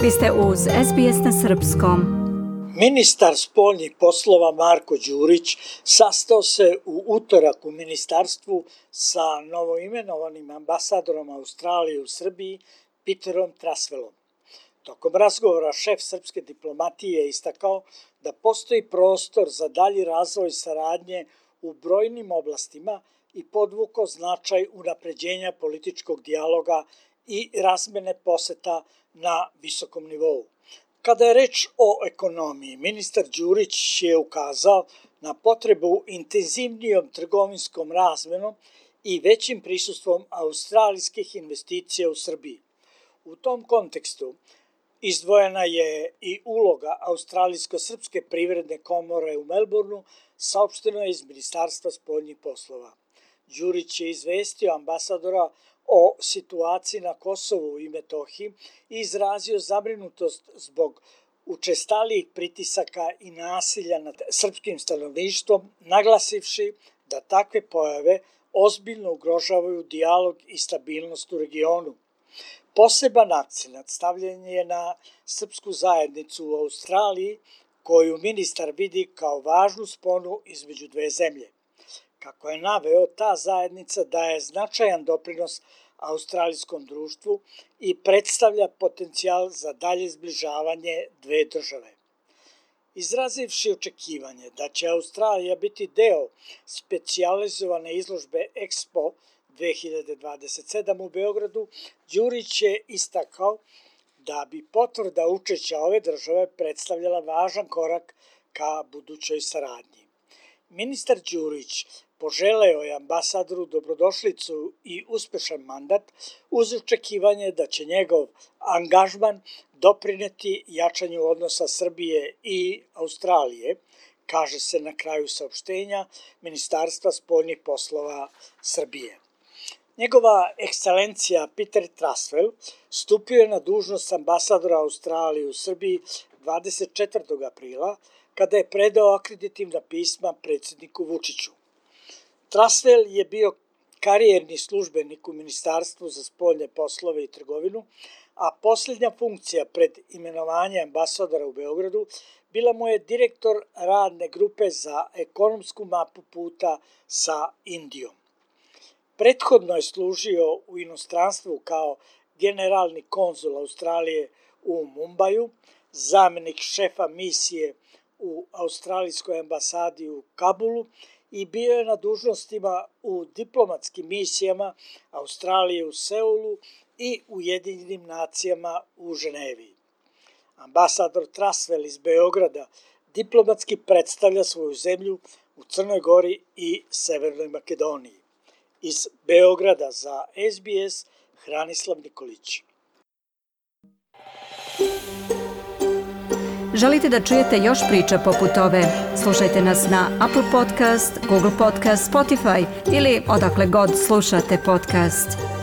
Vi ste uz SBS na srpskom. Ministar spoljnih poslova Marko Đurić sastao se u utorak u ministarstvu sa novoimenovanim ambasadorom Australije u Srbiji Peterom Trasvelom. Tokom razgovora šef srpske diplomatije je istakao da postoji prostor za dalji razvoj saradnje u brojnim oblastima i podvukao značaj unapređenja političkog dijaloga i razmene poseta na visokom nivou. Kada je reč o ekonomiji, ministar Đurić je ukazao na potrebu intenzivnijom trgovinskom razmenom i većim prisustvom australijskih investicija u Srbiji. U tom kontekstu izdvojena je i uloga Australijsko-srpske privredne komore u Melbourneu, saopšteno je iz Ministarstva spoljnih poslova. Đurić je izvestio ambasadora o situaciji na Kosovu i Metohiji i izrazio zabrinutost zbog učestalijih pritisaka i nasilja nad srpskim stanovništvom, naglasivši da takve pojave ozbiljno ugrožavaju dijalog i stabilnost u regionu. Poseban akcenat stavljen je na srpsku zajednicu u Australiji, koju ministar vidi kao važnu sponu između dve zemlje. Kako je naveo, ta zajednica daje značajan doprinos australijskom društvu i predstavlja potencijal za dalje zbližavanje dve države. Izrazivši očekivanje da će Australija biti deo specijalizovane izložbe Expo 2027 u Beogradu, Đurić je istakao da bi potvrda učešća ove države predstavljala važan korak ka budućoj saradnji. Ministar Đurić poželeo je ambasadoru dobrodošlicu i uspešan mandat uz očekivanje da će njegov angažman doprineti jačanju odnosa Srbije i Australije, kaže se na kraju saopštenja Ministarstva spoljnih poslova Srbije. Njegova ekscelencija Peter Trasvel stupio je na dužnost ambasadora Australije u Srbiji 24. aprila, kada je predao akreditivna pisma predsjedniku Vučiću. Trasvel je bio karijerni službenik u Ministarstvu za spoljne poslove i trgovinu, a posljednja funkcija pred imenovanje ambasadora u Beogradu bila mu je direktor radne grupe za ekonomsku mapu puta sa Indijom. Prethodno je služio u inostranstvu kao generalni konzul Australije u Mumbaju, zamjenik šefa misije u Australijskoj ambasadi u Kabulu i bio je na dužnostima u diplomatskim misijama Australije u Seulu i Ujedinjenim nacijama u Ženevi. Ambasador Trasvel iz Beograda diplomatski predstavlja svoju zemlju u Crnoj Gori i Severnoj Makedoniji. Iz Beograda za SBS Hranislav Nikolić. Želite da čujete još priča poput ove? Slušajte nas na Apple Podcast, Google Podcast, Spotify ili odakle god slušate podcast.